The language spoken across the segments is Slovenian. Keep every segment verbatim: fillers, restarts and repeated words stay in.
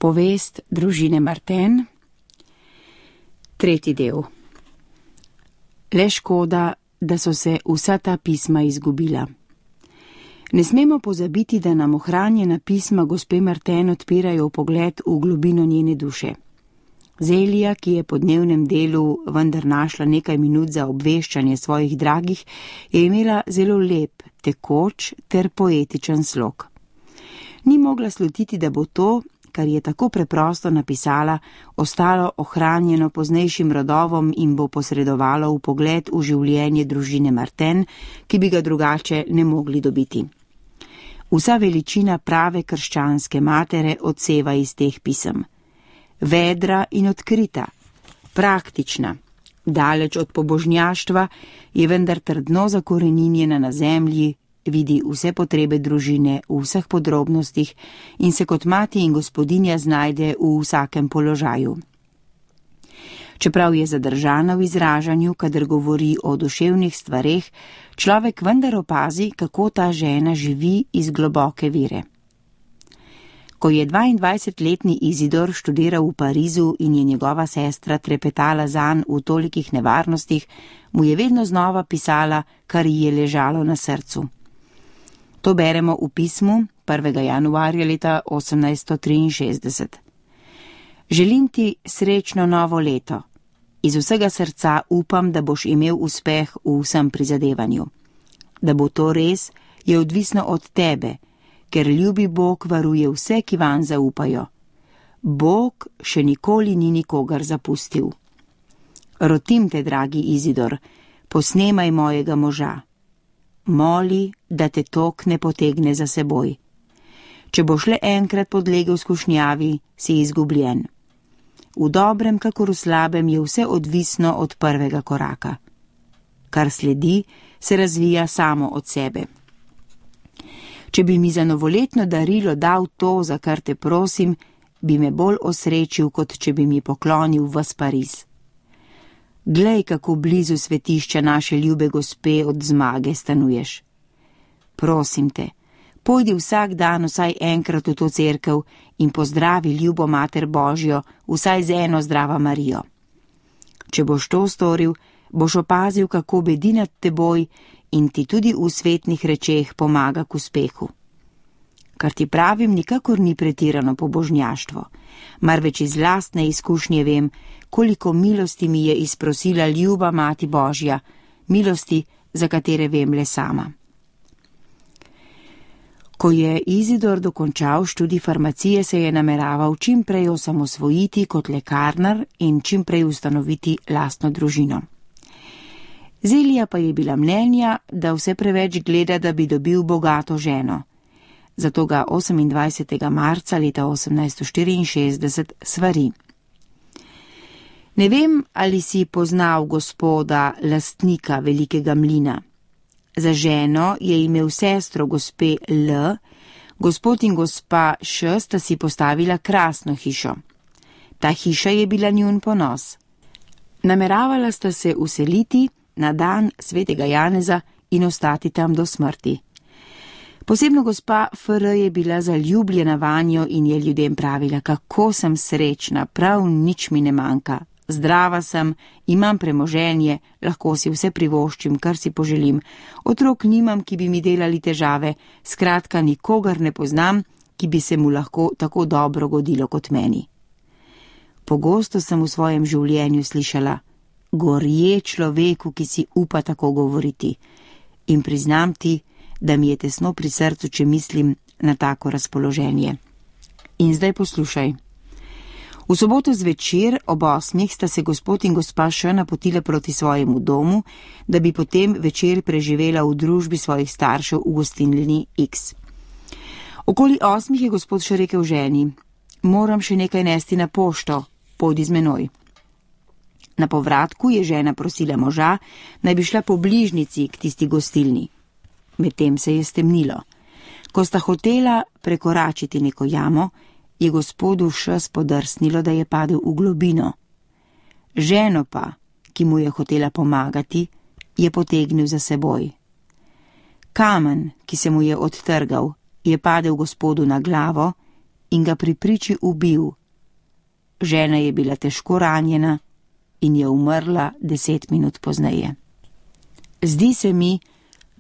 Povest družine Martin, tretji del. Le škoda, da so se vsa ta pisma izgubila. Ne smemo pozabiti, da nam ohranjena pisma gospe Martin odpirajo pogled v globino njene duše. Zelija, ki je po dnevnem delu vendar našla nekaj minut za obveščanje svojih dragih, je imela zelo lep, tekoč ter poetičen slog. Ni mogla slutiti, da bo to, kar je tako preprosto napisala, ostalo ohranjeno poznejšim rodovom in bo posredovalo v pogled v življenje družine Martin, ki bi ga drugače ne mogli dobiti. Vsa veličina prave krščanske matere odseva iz teh pisem. Vedra in odkrita, praktična, daleč od pobožnjaštva, je vendar trdno zakoreninjena na zemlji, vidi vse potrebe družine v vseh podrobnostih in se kot mati in gospodinja znajde v vsakem položaju. Čeprav je zadržana v izražanju, kadar govori o duševnih stvareh, človek vendar opazi, kako ta žena živi iz globoke vere. Ko je dvaindvajsetletni Izidor študiral v Parizu in je njegova sestra trepetala zanj v tolikih nevarnostih, mu je vedno znova pisala, kar ji je ležalo na srcu. To beremo v pismu prvega januarja leta osemnajststo triinšestdeset. Želim ti srečno novo leto. Iz vsega srca upam, da boš imel uspeh v vsem prizadevanju. Da bo to res, je odvisno od tebe, ker ljubi Bog varuje vse, ki vanj zaupajo. Bog še nikoli ni nikogar zapustil. Rotim te, dragi Izidor, posnemaj mojega moža. Moli, da te tok ne potegne za seboj. Če boš le enkrat podlegel skušnjavi, si izgubljen. V dobrem kakor v slabem je vse odvisno od prvega koraka. Kar sledi, se razvija samo od sebe. Če bi mi za novoletno darilo dal to, za kar te prosim, bi me bolj osrečil, kot če bi mi poklonil ves Pariz. Glej, kako blizu svetišča naše ljube gospe od zmage stanuješ. Prosim te, pojdi vsak dan vsaj enkrat v to cerkev in pozdravi ljubo Mater Božjo vsaj z eno Zdrava Marijo. Če boš to storil, boš opazil, kako bedi nad teboj in ti tudi v svetnih rečeh pomaga k uspehu. Kar ti pravim, nikakor ni pretirano pobožnjaštvo, marveč iz lastne izkušnje vem, koliko milosti mi je izprosila ljuba Mati Božja, milosti, za katere vem le sama. Ko je Izidor dokončal študij farmacije, se je nameraval čim prej osamosvojiti kot lekarnar in čim prej ustanoviti lastno družino. Zelija pa je bila mnenja, da vse preveč gleda, da bi dobil bogato ženo. Zato ga osemindvajsetega marca leta osemnajststo štiriinšestdeset svari. Ne vem, ali si poznal gospoda, lastnika velikega mlina. Za ženo je imel sestro gospe L, gospod in gospa Š sta si postavila krasno hišo. Ta hiša je bila njun ponos. Nameravala sta se useliti na dan svetega Janeza in ostati tam do smrti. Posebno gospa F R je bila zaljubljena vanjo in je ljudem pravila, kako sem srečna, prav nič mi ne manjka. Zdrava sem, imam premoženje, lahko si vse privoščim, kar si poželim. Otrok nimam, ki bi mi delali težave, skratka nikogar ne poznam, ki bi se mu lahko tako dobro godilo kot meni. Pogosto sem v svojem življenju slišala, gorje človeku, ki si upa tako govoriti. In priznam ti, da mi je tesno pri srcu, če mislim na tako razpoloženje. In zdaj poslušaj. V soboto zvečer ob osmih sta se gospod in gospa Š napotila proti svojemu domu, da bi potem večer preživela v družbi svojih staršev v gostilni X. Okoli osmih je gospod Š rekel ženi, moram še nekaj nesti na pošto, pojdi z menoj. Na povratku je žena prosila moža, naj bi šla po bližnici k tisti gostilni. Medtem se je stemnilo. Ko sta hotela prekoračiti neko jamo, je gospodu Š spodrsnilo, da je padel v globino. Ženo pa, ki mu je hotela pomagati, je potegnil za seboj. Kamen, ki se mu je odtrgal, je padel gospodu na glavo in ga pri priči ubil. Žena je bila težko ranjena in je umrla deset minut pozneje. Zdi se mi,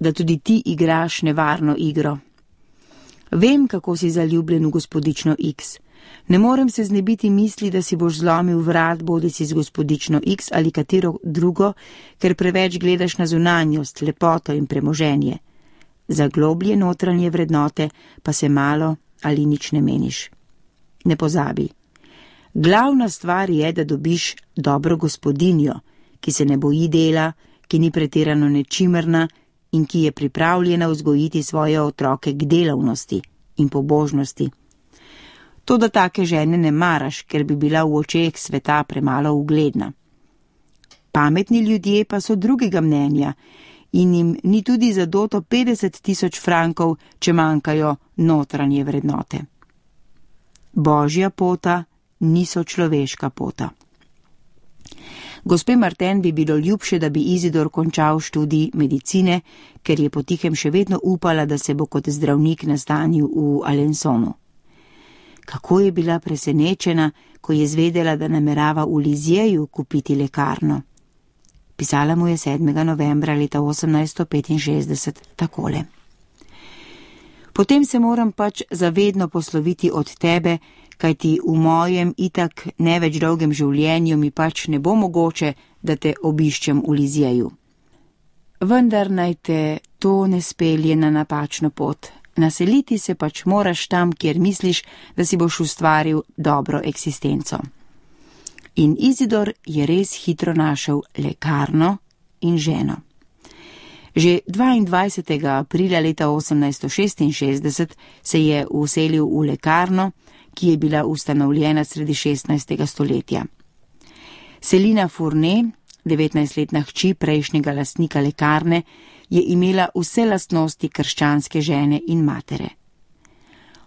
da tudi ti igraš nevarno igro. Vem, kako si zaljubljen v gospodično X. Ne morem se znebiti misli, da si boš zlomil vrat bodisi z gospodično X ali katero drugo, ker preveč gledaš na zunanjost, lepoto in premoženje. Za globlje notranje vrednote pa se malo ali nič ne meniš. Ne pozabi. Glavna stvar je, da dobiš dobro gospodinjo, ki se ne boji dela, ki ni pretirano nečimrna in ki je pripravljena vzgojiti svoje otroke k delavnosti in pobožnosti. To, da take žene ne maraš, ker bi bila v očeh sveta premalo ugledna. Pametni ljudje pa so drugega mnenja in jim ni tudi zadoto petdeset tisoč frankov, če manjkajo notranje vrednote. Božja pota niso človeška pota. Gospe Martin bi bilo ljubše, da bi Izidor končal študij medicine, ker je potihem še vedno upala, da se bo kot zdravnik nastanil v Alensonu. Kako je bila presenečena, ko je zvedela, da namerava v Lizjeju kupiti lekarno. Pisala mu je sedmega novembra leta osemnajststo petinšestdeset takole. Potem se moram pač zavedno posloviti od tebe, kajti v mojem itak ne več dolgem življenju mi pač ne bo mogoče, da te obiščem v Lizjeju. Vendar naj te to ne spelje na napačno pot. Naseliti se pač moraš tam, kjer misliš, da si boš ustvaril dobro eksistenco. In Izidor je res hitro našel lekarno in ženo. Že dvaindvajsetega aprila leta osemnajststo šestinšestdeset se je vselil v lekarno, ki je bila ustanovljena sredi šestnajstega stoletja. Selina Fournet, devetnajstletna hči prejšnjega lastnika lekarne, je imela vse lastnosti krščanske žene in matere.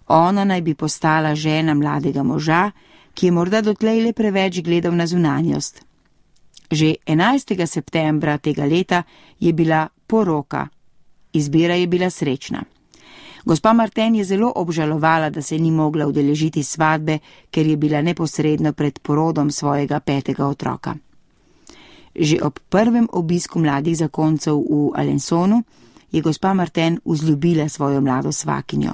Ona naj bi postala žena mladega moža, ki je morda dotlej le preveč gledal na zunanjost. Že enajstega septembra tega leta je bila poroka. Izbira je bila srečna. Gospa Martin je zelo obžalovala, da se ni mogla udeležiti svadbe, ker je bila neposredno pred porodom svojega petega otroka. Že ob prvem obisku mladih zakoncev v Alensonu je gospa Martin vzljubila svojo mlado svakinjo.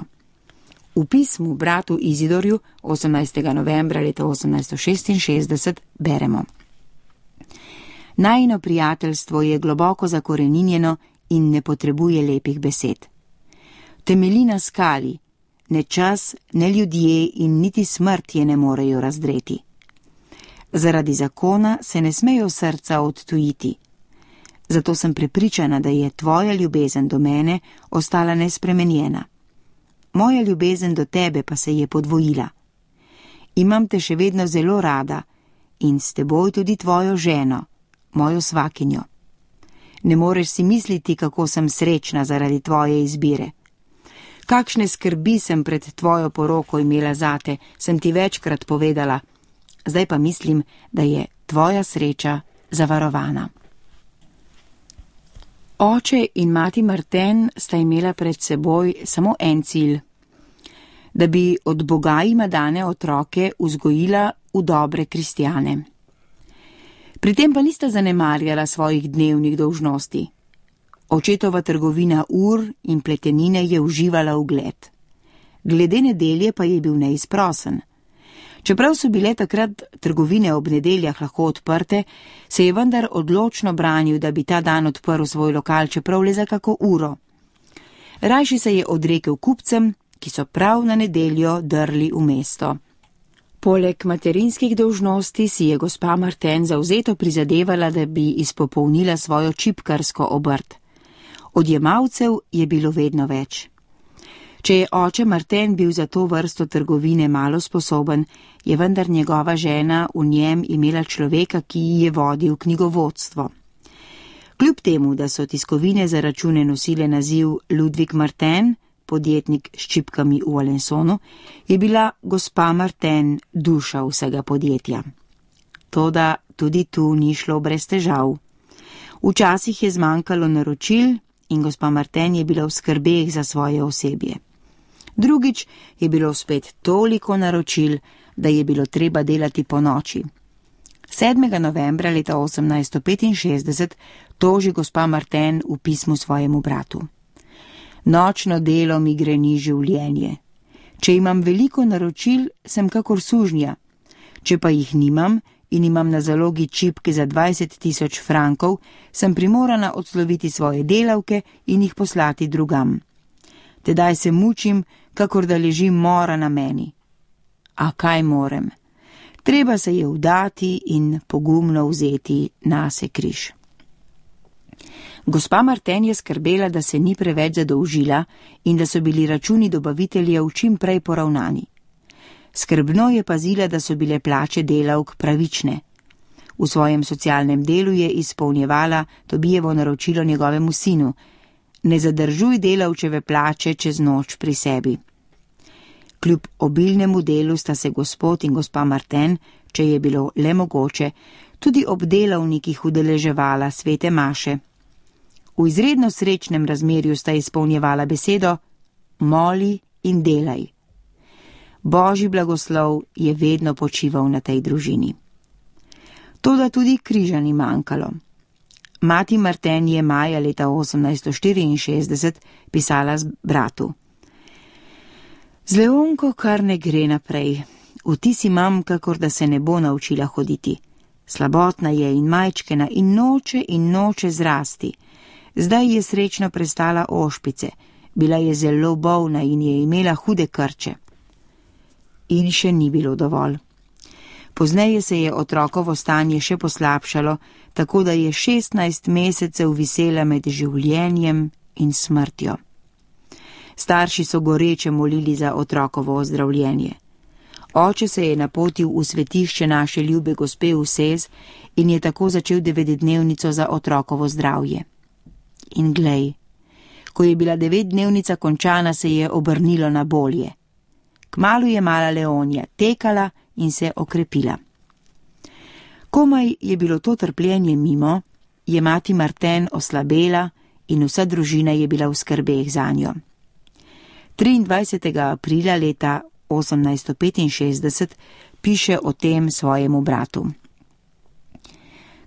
V pismu bratu Izidorju osemnajstega novembra leta osemnajststo šestinšestdeset beremo: Najino prijateljstvo je globoko zakoreninjeno in ne potrebuje lepih besed. Temelji na skali, ne čas, ne ljudje in niti smrt je ne morejo razdreti. Zaradi zakona se ne smejo srca odtujiti. Zato sem prepričana, da je tvoja ljubezen do mene ostala nespremenjena. Moja ljubezen do tebe pa se je podvojila. Imam te še vedno zelo rada in s teboj tudi tvojo ženo, mojo svakinjo. Ne moreš si misliti, kako sem srečna zaradi tvoje izbire. Kakšne skrbi sem pred tvojo poroko imela zate, sem ti večkrat povedala. Zdaj pa mislim, da je tvoja sreča zavarovana. Oče in mati Martin sta imela pred seboj samo en cilj. Da bi od Boga jima dane otroke vzgojila v dobre kristjane. Pri tem pa nista zanemarjala svojih dnevnih dolžnosti. Očetova trgovina ur in pletenine je uživala ugled. Glede nedelje pa je bil neizprosen. Čeprav so bile takrat trgovine ob nedeljah lahko odprte, se je vendar odločno branil, da bi ta dan odprl svoj lokal, čeprav le za kako uro. Rajši se je odrekel kupcem, ki so prav na nedeljo drli v mesto. Poleg materinskih dolžnosti si je gospa Martin zavzeto prizadevala, da bi izpopolnila svojo čipkarsko obrt. Odjemalcev je bilo vedno več. Če je oče Martin bil za to vrsto trgovine malo sposoben, je vendar njegova žena v njem imela človeka, ki ji je vodil knjigovodstvo. Kljub temu, da so tiskovine za račune nosile naziv Ludwig Martin, podjetnik s čipkami v Alensonu, je bila gospa Martin duša vsega podjetja. Toda tudi tu ni šlo brez težav. Včasih je zmanjkalo naročil in gospa Martin je bila v skrbeh za svoje osebje. Drugič je bilo spet toliko naročil, da je bilo treba delati po noči. sedmega novembra leta osemnajststo petinšestdeset toži gospa Martin v pismu svojemu bratu. Nočno delo mi greni življenje. Če imam veliko naročil, sem kakor sužnja. Če pa jih nimam in imam na zalogi čipke za dvajset tisoč frankov, sem primorana odsloviti svoje delavke in jih poslati drugam. Tedaj se mučim, kakor da leži mora na meni. A kaj morem? Treba se je vdati in pogumno vzeti nase križ. Gospa Martin je skrbela, da se ni preveč zadolžila in da so bili računi dobaviteljev čim prej poravnani. Skrbno je pazila, da so bile plače delavk pravične. V svojem socialnem delu je izpolnjevala Tobijevo naročilo njegovemu sinu: ne zadržuj delavčeve plače čez noč pri sebi. Kljub obilnemu delu sta se gospod in gospa Martin, če je bilo le mogoče, tudi ob delavnikih udeleževala svete maše. V izredno srečnem razmerju sta izpolnjevala besedo: moli in delaj. Božji blagoslov je vedno počival na tej družini. Toda tudi križa ni manjkalo. Mati Martin je maja leta osemnajststo štiriinšestdeset pisala z bratu: z Leonko kar ne gre naprej. Vtis imam, kakor da se ne bo naučila hoditi. Slabotna je in majčkena in noče in noče zrasti. Zdaj je srečno prestala ošpice. Bila je zelo bolna in je imela hude krče. In še ni bilo dovolj. Pozneje se je otrokovo stanje še poslabšalo, tako da je šestnajst mesecev visela med življenjem in smrtjo. Starši so goreče molili za otrokovo ozdravljenje. Oče se je napotil v svetišče naše ljube gospe v Sez in je tako začel devetdnevnico za otrokovo zdravje. In glej, ko je bila devetdnevnica končana, se je obrnilo na bolje. Kmalu je mala Leonja tekala in se okrepila. Komaj je bilo to trpljenje mimo, je mati Martin oslabela in vsa družina je bila v skrbeh zanjo. triindvajsetega aprila leta osemnajststo petinšestdeset piše o tem svojemu bratu.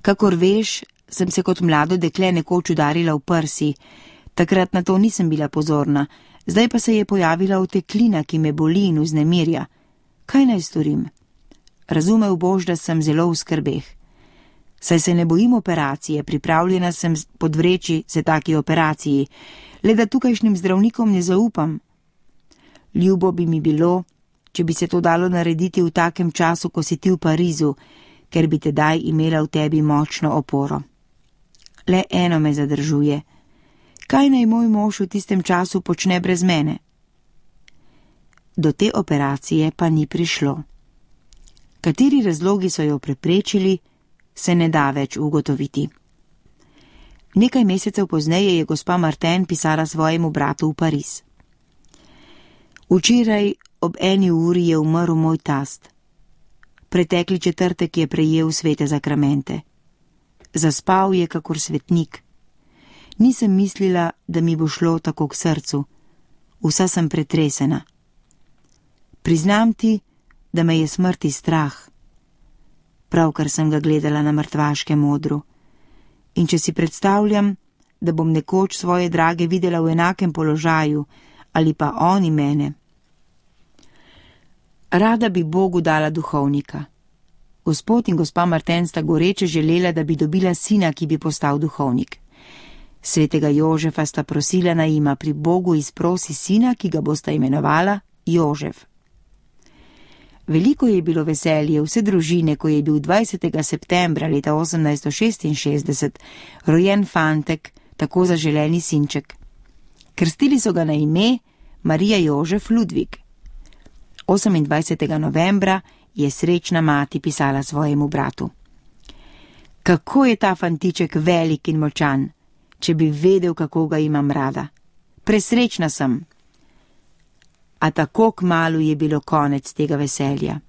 Kakor veš, sem se kot mlado dekle nekoč udarila v prsi, takrat na to nisem bila pozorna, zdaj pa se je pojavila oteklina, ki me boli in vznemirja. Kaj naj storim? Razumel boš, da sem zelo v skrbeh. Saj se ne bojim operacije, pripravljena sem podvreči se taki operaciji, le da tukajšnjim zdravnikom ne zaupam. Ljubo bi mi bilo, če bi se to dalo narediti v takem času, ko si ti v Parizu, ker bi tedaj imela v tebi močno oporo. Le eno me zadržuje. Kaj naj moj mož v tistem času počne brez mene? Do te operacije pa ni prišlo. Kateri razlogi so jo preprečili, se ne da več ugotoviti. Nekaj mesecev pozneje je gospa Martin pisala svojemu bratu v Pariz. Včeraj ob eni uri je umrl moj tast. Pretekli četrtek je prejel svete zakramente. Zaspal je kakor svetnik. Nisem mislila, da mi bo šlo tako k srcu. Vsa sem pretresena. Priznam ti, da me je smrti strah. Pravkar sem ga gledala na mrtvaškem odru. In če si predstavljam, da bom nekoč svoje drage videla v enakem položaju, ali pa oni mene. Rada bi Bogu dala duhovnika. Gospod in gospa Martin sta goreče želela, da bi dobila sina, ki bi postal duhovnik. Svetega Jožefa sta prosila, naj jima pri Bogu izprosi sina, ki ga bosta imenovala Jožef. Veliko je bilo veselje vse družine, ko je bil dvajsetega septembra leta osemnajststo šestinšestdeset rojen fantek, tako zaželeni sinček. Krstili so ga na ime Marija Jožef Ludvik. osemindvajsetega novembra je srečna mati pisala svojemu bratu. Kako je ta fantiček velik in močan, če bi vedel, kako ga imam rada. Presrečna sem. A tako kmalu je bilo konec tega veselja.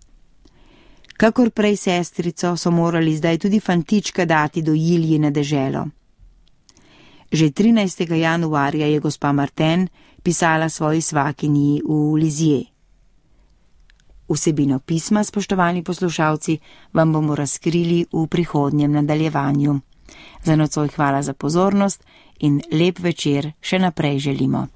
Kakor prej sestrico so morali zdaj tudi fantička dati do Jilji na deželo. Že trinajstega januarja je gospa Martin pisala svoji svakinji v Lizije. Vsebino pisma, spoštovani poslušalci, vam bomo razkrili v prihodnjem nadaljevanju. Za nocoj hvala za pozornost in lep večer še naprej želimo.